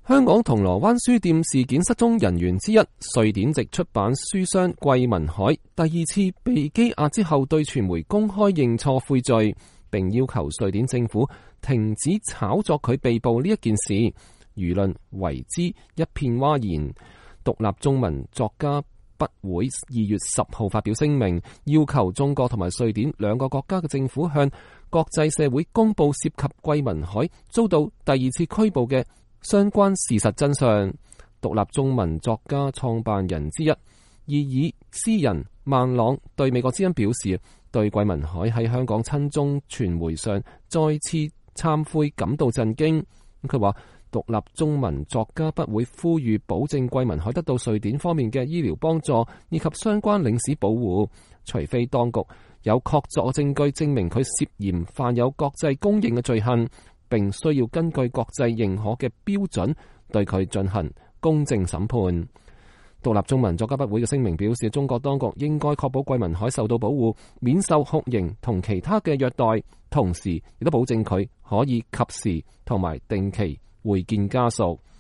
香港銅鑼灣書店事件失蹤人員之一，瑞典籍出版書商桂民海第二次被羈押之後，對傳媒公開認錯悔罪，並要求瑞典政府停止炒作佢被捕呢一件事，輿論為之一片譁然。獨立中文作家筆會2月10號發表聲明，要求中國同埋瑞典兩個國家嘅政府向國際社會公布涉及桂民海遭到第二次拘捕嘅相關事實真相。獨立中文作家創辦人之一異議詩人萬朗對美國之音表示，對桂民海喺香港親中傳媒上再次懺悔感到震驚。佢話獨立中文作家不會呼籲保證桂民海得到瑞典方面嘅醫療幫助以及相關領事保護，除非當局有確鑿證據證明佢涉嫌犯有國際公認嘅罪行，並需要根據國際認可嘅標準對佢進行公正審判。獨立中文作家筆會嘅聲明表示，中國當局應該確保桂民海受到保護，免受酷刑同其他嘅虐待，同時亦都保證佢可以及時同埋定期會見家屬。